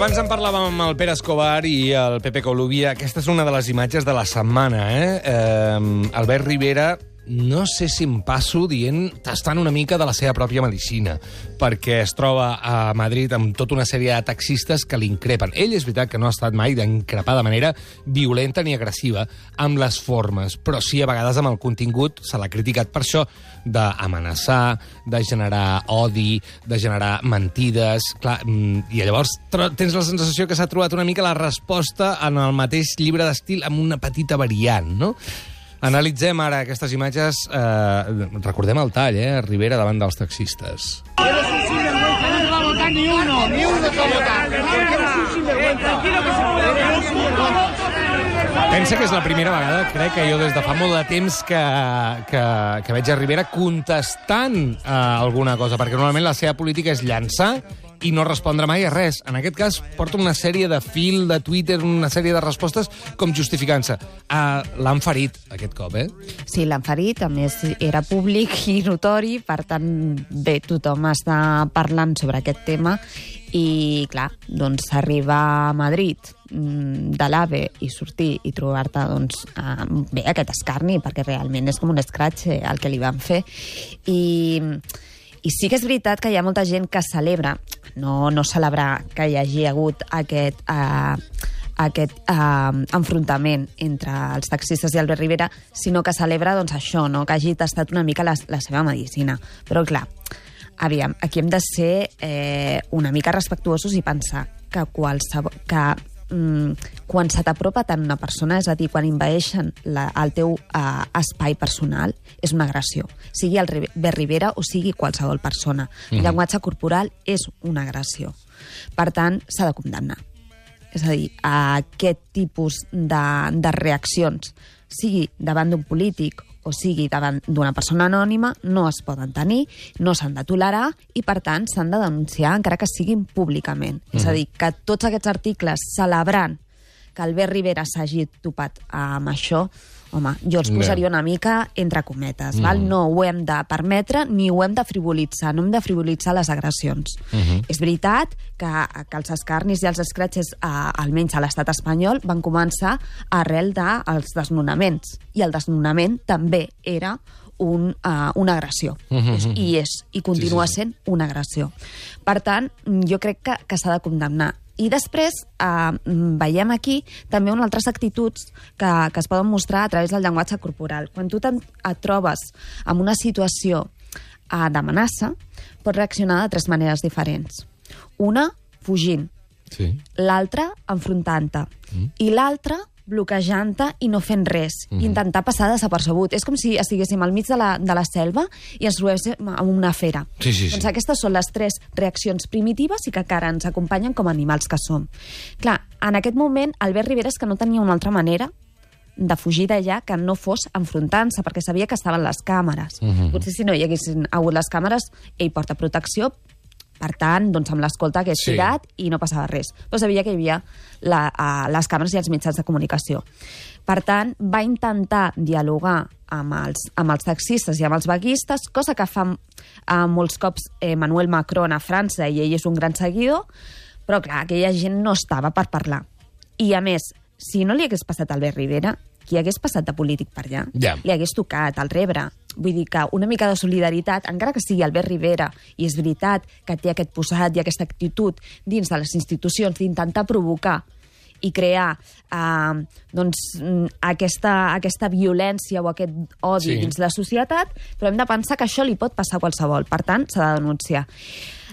abans en parlàvem amb el Pere Escobar i el Pepe Colubia. Aquesta és una de les imatges de la setmana, Albert Rivera, no sé si em passo dient, tastant una mica de la seva pròpia medicina, perquè es troba a Madrid amb tota una sèrie de taxistes que l'increpen. Ell és veritat que no ha estat mai d'increpar de manera violenta ni agressiva amb les formes, però sí a vegades amb el contingut se l'ha criticat per això, d'amenaçar, de generar odi, de generar mentides. Clar, i llavors tens la sensació que s'ha trobat una mica la resposta en el mateix llibre d'estil amb una petita variant, no? Analitzem ara aquestes imatges. Recordem el tall, Rivera davant dels taxistes. Eres un sinvergüenza, no te va a votar ni uno te va a votar. Eres un sinvergüenza. Tranquilo que se puede. Pensa que és la primera vegada, crec que jo des de fa molt de temps que veig a Rivera contestant alguna cosa, perquè normalment la seva política és llançar i no respondre mai a res. En aquest cas, porta una sèrie de fil de Twitter, una sèrie de respostes com justificant-se. L'han ferit, aquest cop, Sí, l'han ferit, a més era públic i notori, per tant, bé, tothom està parlant sobre aquest tema i, clar, doncs arribar a Madrid de l'AVE i sortir i trobar-te, doncs, bé, aquest escarni, perquè realment és com un escratx el que li van fer. I sí que és veritat que hi ha molta gent que celebra, no celebrar que hi hagi hagut aquest enfrontament entre els taxistes i Albert Rivera, sinó que celebra doncs, això, no? Que hagi tastat una mica la seva medicina. Però, clar, aviam, aquí hem de ser una mica respectuosos i pensar que quan se t'apropa tant una persona, és a dir, quan envaeixen el teu espai personal, és una agressió. Sigui Albert Rivera o sigui qualsevol persona. El llenguatge corporal és una agressió. Per tant, s'ha de condemnar. És a dir, aquest tipus de reaccions, sigui davant d'un polític o sigui davant d'una persona anònima, no es poden tenir, no s'han de tolerar i, per tant, s'han de denunciar encara que siguin públicament. És a dir, que tots aquests articles celebrant que Albert Rivera s'hagi topat amb això, home, jo els posaria una mica entre cometes, val? No ho hem de permetre ni ho hem de frivolitzar, no hem de frivolitzar les agressions. És veritat que els escarnis i els escratxes, almenys a l'estat espanyol, van començar arrel dels desnonaments, i el desnonament també era una agressió, i continua sent una agressió. Per tant, jo crec que s'ha de condemnar. I després veiem aquí també unes altres actituds que es poden mostrar a través del llenguatge corporal. Quan tu et trobes en una situació d'amenaça, pots reaccionar de 3 maneres diferents. Una, fugint. Sí. L'altra, enfrontant-te. I l'altra, bloquejant-te i no fent res, intentar passar desapercebut. És com si estiguéssim al mig de la selva i ens trobéssim amb una fera. Sí. Doncs aquestes són les 3 reaccions primitives i que encara ens acompanyen com a animals que som. Clar, en aquest moment, Albert Rivera és que no tenia una altra manera de fugir d'allà que no fos enfrontant-se, perquè sabia que estaven les càmeres. Potser si no hi haguessin hagut les càmeres, ell porta protecció, per tant, doncs amb l'escolta hagués tirat i no passava res. Però sabia que hi havia les càmeres i els mitjans de comunicació. Per tant, va intentar dialogar amb els taxistes i amb els vaguistes, cosa que fa molts cops Emmanuel Macron a França, i ell és un gran seguidor, però clar, aquella gent no estava per parlar. I a més, si no li hagués passat a Albert Rivera, qui hagués passat de polític per allà, li hagués tocat al rebre. Vull dir que una mica de solidaritat, encara que sigui Albert Rivera, i és veritat que té aquest posat i aquesta actitud dins de les institucions d'intentar provocar i crear aquesta violència o aquest odi dins la societat, però hem de pensar que això li pot passar a qualsevol. Per tant, s'ha de denunciar.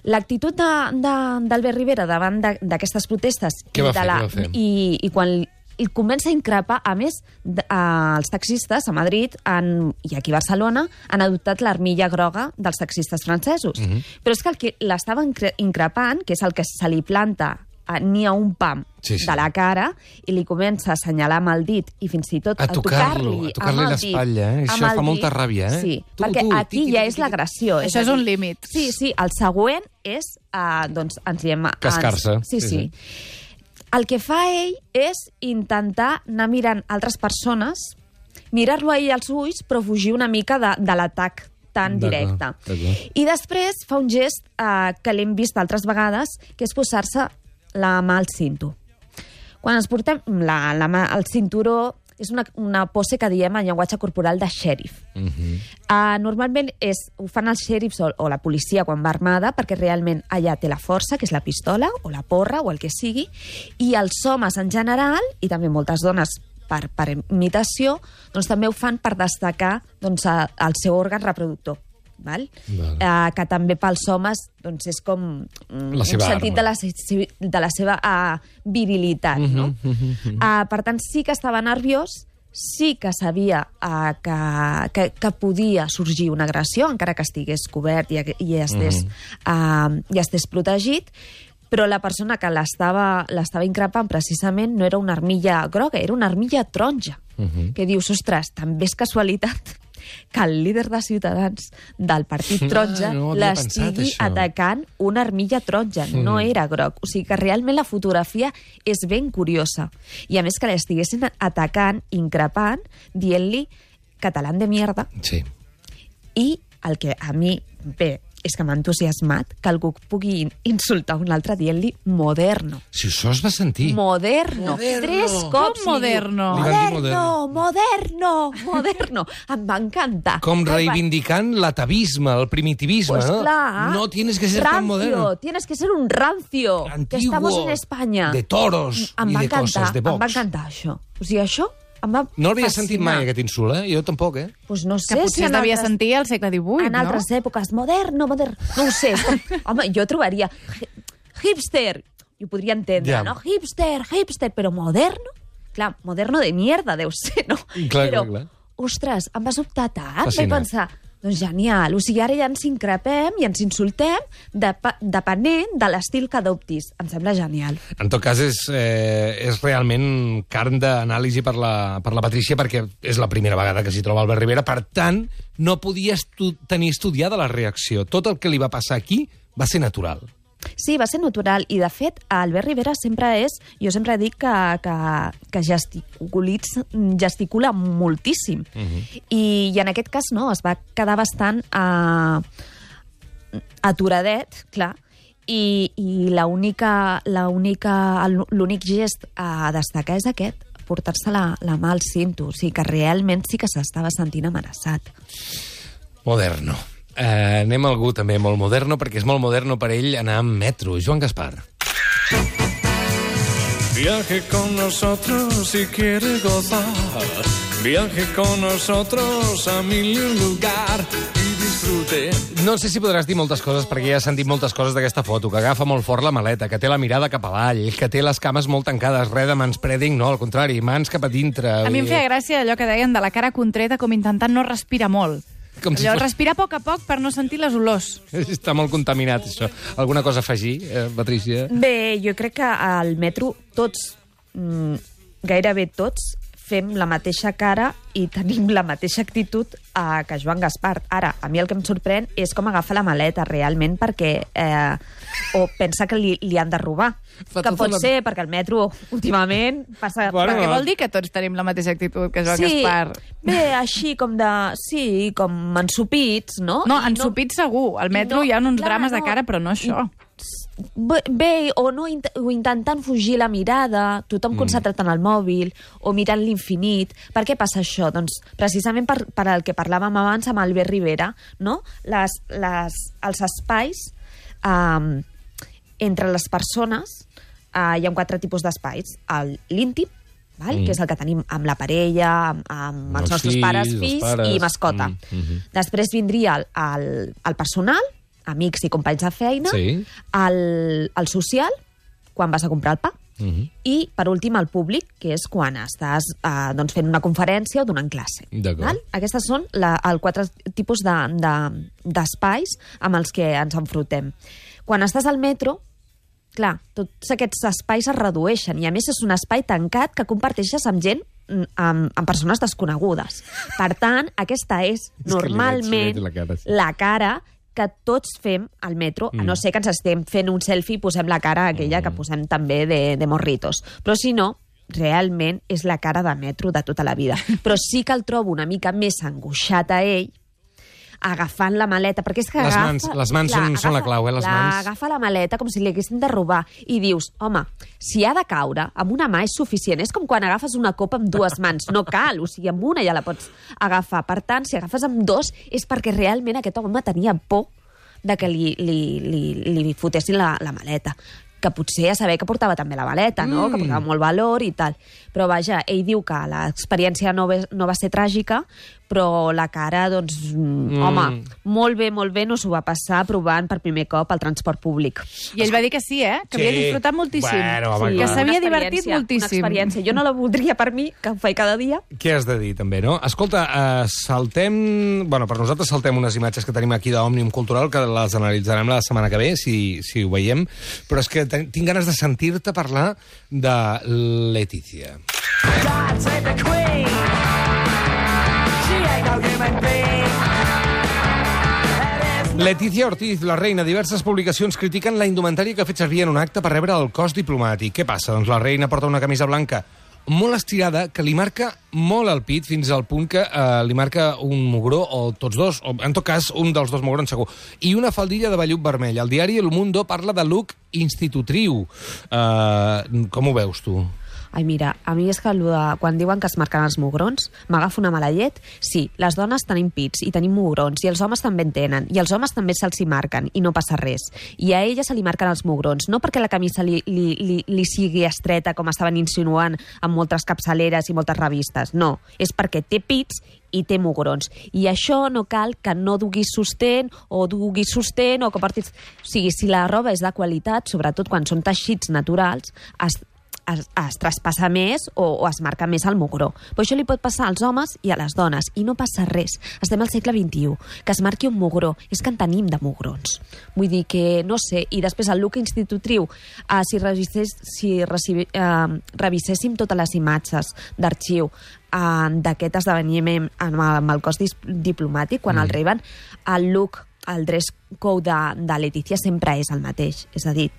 L'actitud d'Albert Rivera davant d'aquestes protestes i quan comença a increpar, a més, els taxistes a Madrid i aquí a Barcelona han adoptat l'armilla groga dels taxistes francesos. Però és que el que l'estava increpant, que és el que se li planta ni a un pam de la cara i li comença a assenyalar amb el dit i fins i tot a tocar-li l'espatlla. Això fa molta ràbia. Sí, perquè aquí ja és l'agressió. Això és un límit. Sí, el següent és, doncs, ens diem... Cascar-se. Sí. El que fa ell és intentar anar mirant altres persones, mirar-lo a ell als ulls, però fugir una mica de l'atac tan directe. I després fa un gest que l'hem vist altres vegades, que és posar-se la mà al cinto. Quan ens portem la mà al cinturó, és una pose que diem en llenguatge corporal de xèrif. Normalment ho fan els xèrifs o la policia quan va armada, perquè realment allà té la força, que és la pistola, o la porra, o el que sigui, i els homes en general, i també moltes dones per imitació, doncs també ho fan per destacar doncs, el seu òrgan reproductor. Val? Que també pels homes doncs, és com un sentit de la seva virilitat. No? Per tant, sí que estava nerviós, sí que sabia que podia sorgir una agressió, encara que estigués cobert i estés protegit, però la persona que l'estava increpant precisament no era una armilla groga, era una armilla taronja, que dius, ostres, també és casualitat que el líder de Ciutadans del Partit Taronja l'estigui atacant una armilla taronja, no era groc. O sigui que realment la fotografia és ben curiosa. I a més que l'estiguessin atacant, increpant, dient-li catalán de mierda. Sí. I el que a mi, bé, és que m'ha entusiasmat que algú pugui insultar un altre dient-li moderno. Si això es va sentir. Moderno. 3 cops. Com moderno? Moderno. Em va encantar. Com reivindicant l'atavisme, el primitivisme. Pues clar. No tienes que ser tan moderno. Tienes que ser un rancio. Antiguo. Que estamos en España. De toros i de coses, de box. Em va encantar això. O sigui, això em va no l'havia fascinar. sentit mai, aquest insult, Jo tampoc, Pues no sé que potser es devia sentir al segle XVIII, en altres èpoques. Moderno. No ho sé. Home, jo trobaria hipster. Jo podria entendre, no? Hipster, però moderno? Clar, moderno de mierda deu ser, no? Clar. Ostres, em va sobtar tant. Fascinant. Vaig pensar, doncs genial. O sigui, ara ja ens increpem i ens insultem depenent de l'estil que adoptis. Em sembla genial. En tot cas, és realment carn d'anàlisi per la Patrícia, perquè és la primera vegada que s'hi troba Albert Rivera. Per tant, no podia tenir estudiada la reacció. Tot el que li va passar aquí va ser natural. Sí, va ser natural. I, de fet, Albert Rivera jo sempre dic que gesticula moltíssim. I en aquest cas no, es va quedar bastant aturadet, clar, i l'únic gest a destacar és aquest, portar-se la mà al cinto. O sigui que realment sí que s'estava sentint amenaçat. Moderno. Anem a algú també molt moderno, perquè és molt moderno per ell anar amb metro. Joan Gaspar. Viaje con nosotros si quiere gozar. Viaje con nosotros a mil lugar y disfrute. No sé si podràs dir moltes coses, perquè ja has sentit moltes coses d'aquesta foto, que agafa molt fort la maleta, que té la mirada cap avall, que té les cames molt tancades, res de manspreading, no, al contrari, mans cap a dintre. A mi em feia gràcia allò que deien de la cara contreta, com intentant no respirar molt. Respirar a poc per no sentir les olors. Està molt contaminat, això. Alguna cosa a afegir, Patrícia? Bé, jo crec que al metro tots, gairebé tots, fem la mateixa cara i tenim la mateixa actitud que Joan Gaspar. Ara, a mi el que em sorprèn és com agafa la maleta realment, perquè o pensa que li han de robar. Que pot ser, perquè el metro últimament passa... Bueno, què vol dir que tots tenim la mateixa actitud que Joan Gaspar? Bé, així com com ensupits, no? No, ensupits segur. Al metro hi ha uns drames de cara, però no això. Bé, o intentant fugir la mirada, tothom concentrat en el mòbil, o mirant l'infinit. Per què passa això? Doncs precisament per el que parlàvem abans amb Albert Rivera, no? Els espais entre les persones, hi ha 4 tipus d'espais. L'íntim, que és el que tenim amb la parella, amb els nostres pares, fills i mascota. Després vindria el personal, amics i companys de feina, el social, quan vas a comprar el pa, i, per últim, el públic, que és quan estàs fent una conferència o donant classe. Aquestes són els 4 tipus d'espais amb els que ens enfrontem. Quan estàs al metro, clar, tots aquests espais es redueixen, i a més és un espai tancat que comparteixes amb gent, amb persones desconegudes. Per tant, aquesta és normalment la cara que tots fem al metro, a no ser que ens estem fent un selfie i posem la cara aquella que posem també de morritos. Però si no, realment és la cara de metro de tota la vida. Però sí que el trobo una mica més angoixat a ell agafant la maleta, perquè és que Les mans són la clau, les mans. Agafa la maleta com si li haguessin de robar i dius, home, si ha de caure, amb una mà és suficient. És com quan agafes una copa amb dues mans, no cal, o sigui, amb una ja la pots agafar. Per tant, si agafes amb dos és perquè realment aquest home tenia por de que li fotessin la maleta, que potser a saber que portava també la maleta, no? Que portava molt valor i tal. Però vaja, ell diu que l'experiència no va ser tràgica, però la cara, doncs, home, molt bé no s'ho va passar provant per primer cop el transport públic. I ell va dir que sí, que havia disfrutat moltíssim. Bueno, home, que s'havia divertit moltíssim. Una experiència. Jo no la voldria per mi, que ho faig cada dia. Què has de dir, també, no? Escolta, per nosaltres saltem unes imatges que tenim aquí d'Òmnium Cultural, que les analitzarem la setmana que ve, si ho veiem, però és que tinc ganes de sentir-te parlar de Letizia. God save the Queen. She ain't no human being. Letizia Ortiz, la reina. Diverses publicacions critiquen la indumentària que ha fet servir en un acte per rebre el cos diplomàtic. Què passa? Doncs la reina porta una camisa blanca molt estirada, que li marca molt el pit, fins al punt que li marca un mugró, o tots dos, o en tot cas un dels dos mugrons segur, i una faldilla de vellut vermell. El diari El Mundo parla de look institutriu. Com ho veus, tu? Ai, mira, a mi és que quan diuen que es marquen els mugrons, m'agafa una mala llet. Sí, les dones tenim pits i tenim mugrons, i els homes també en tenen, i els homes també se'ls hi marquen, i no passa res. I a ella se li marquen els mugrons, no perquè la camisa li sigui estreta, com estaven insinuant amb moltes capçaleres i moltes revistes, no. És perquè té pits i té mugrons. I això no cal que no duguis sostén, o que portis... O sigui, si la roba és de qualitat, sobretot quan són teixits naturals, es traspassa més o es marca més el mugró. Però això li pot passar als homes i a les dones, i no passa res. Estem al segle XXI. Que es marqui un mugró. És que en tenim de mugrons. Vull dir que, no sé, i després el look institutriu, si reviséssim totes les imatges d'arxiu d'aquest esdeveniment amb el cos diplomàtic, quan el reben, el look, el dress code de Letizia sempre és el mateix. És a dir,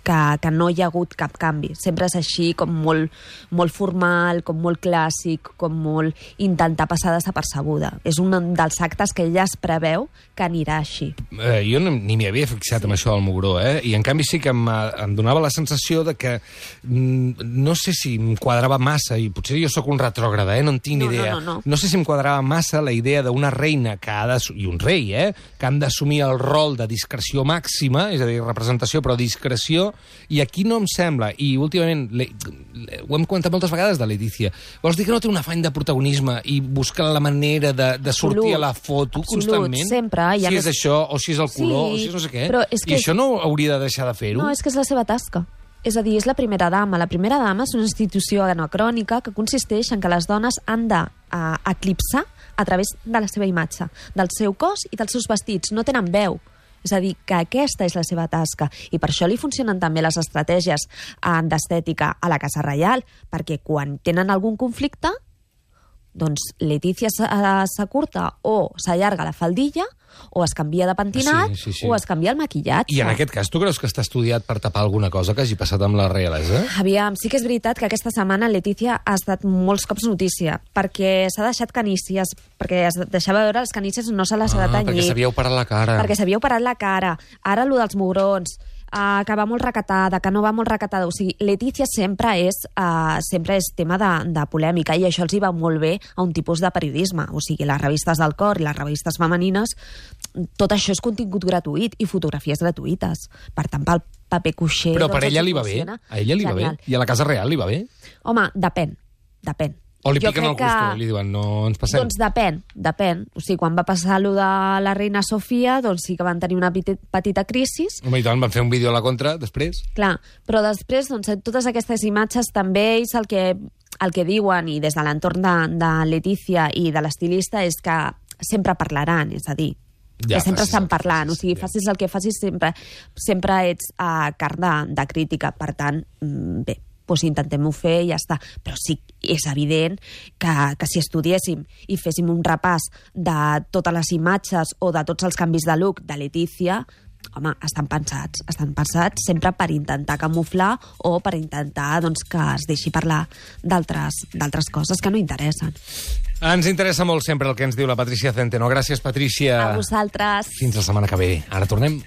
que no hi ha hagut cap canvi. Sempre és així, com molt formal, com molt clàssic, com molt intentar passar desapercebuda. És un dels actes que ella es preveu que anirà així. Jo ni m'hi havia fixat amb això del mugró, i en canvi sí que em donava la sensació de que no sé si em quadrava massa, i potser jo sóc un retrògrada, no en tinc ni idea. No sé si em quadrava massa la idea d'una reina i un rei, que han d'assumir el rol de discreció màxima, és a dir, representació però discreció. I aquí no em sembla, i últimament ho hem comentat moltes vegades de Letizia, vols dir que no té un afany de protagonisme i buscar la manera de sortir a la foto constantment? Sempre. Si és això, o si és el color, o si és no sé què. I això no hauria de deixar de fer-ho? No, és que és la seva tasca. És a dir, és la primera dama. La primera dama és una institució anacrònica que consisteix en que les dones han d'eclipsar a través de la seva imatge, del seu cos i dels seus vestits. No tenen veu. És a dir, que aquesta és la seva tasca, i per això li funcionen també les estratègies d'estètica a la Casa Reial, perquè quan tenen algun conflicte, doncs Letizia s'acurta o s'allarga la faldilla, o es canvia de pentinat, o es canvia el maquillatge. I en aquest cas, tu creus que està estudiat per tapar alguna cosa que hagi passat amb la reialesa? Aviam, sí que és veritat que aquesta setmana Letizia ha estat molts cops notícia, perquè s'ha deixat canícies, perquè es deixava veure les canícies, no se les ha de tenyir. Perquè s'havia operat la cara. Perquè s'havia operat la cara. Ara, lo dels mugrons, que va molt recatada, que no va molt recatada. O sigui, Letizia sempre és tema de polèmica, i això els hi va molt bé a un tipus de periodisme. O sigui, les revistes del cor i les revistes femenines, tot això és contingut gratuït i fotografies gratuïtes. Per tant, pel paper cuixer... Però per ella li va bé? A ella li va bé? I a la Casa Reial li va bé? Home, depèn. O li piquen el gusto, li diuen, no ens passem? Doncs depèn. O sigui, quan va passar allò de la reina Sofia, doncs sí que van tenir una petita crisi. Home, i tant, van fer un vídeo a la contra, després. Clar, però després, doncs, totes aquestes imatges també ells el que diuen, i des de l'entorn de Letizia i de l'estilista, és que sempre parlaran, és a dir, que sempre estan parlant. O sigui, facis el que facis, sempre ets carn de crítica. Per tant, bé, doncs intentem-ho fer i ja està. Però sí, és evident que si estudiéssim i féssim un repàs de totes les imatges o de tots els canvis de look de Letizia, home, estan pensats sempre per intentar camuflar o per intentar doncs, que es deixi parlar d'altres coses que no interessen. Ens interessa molt sempre el que ens diu la Patrícia Centeno. Gràcies, Patrícia. A vosaltres. Fins la setmana que ve. Ara tornem.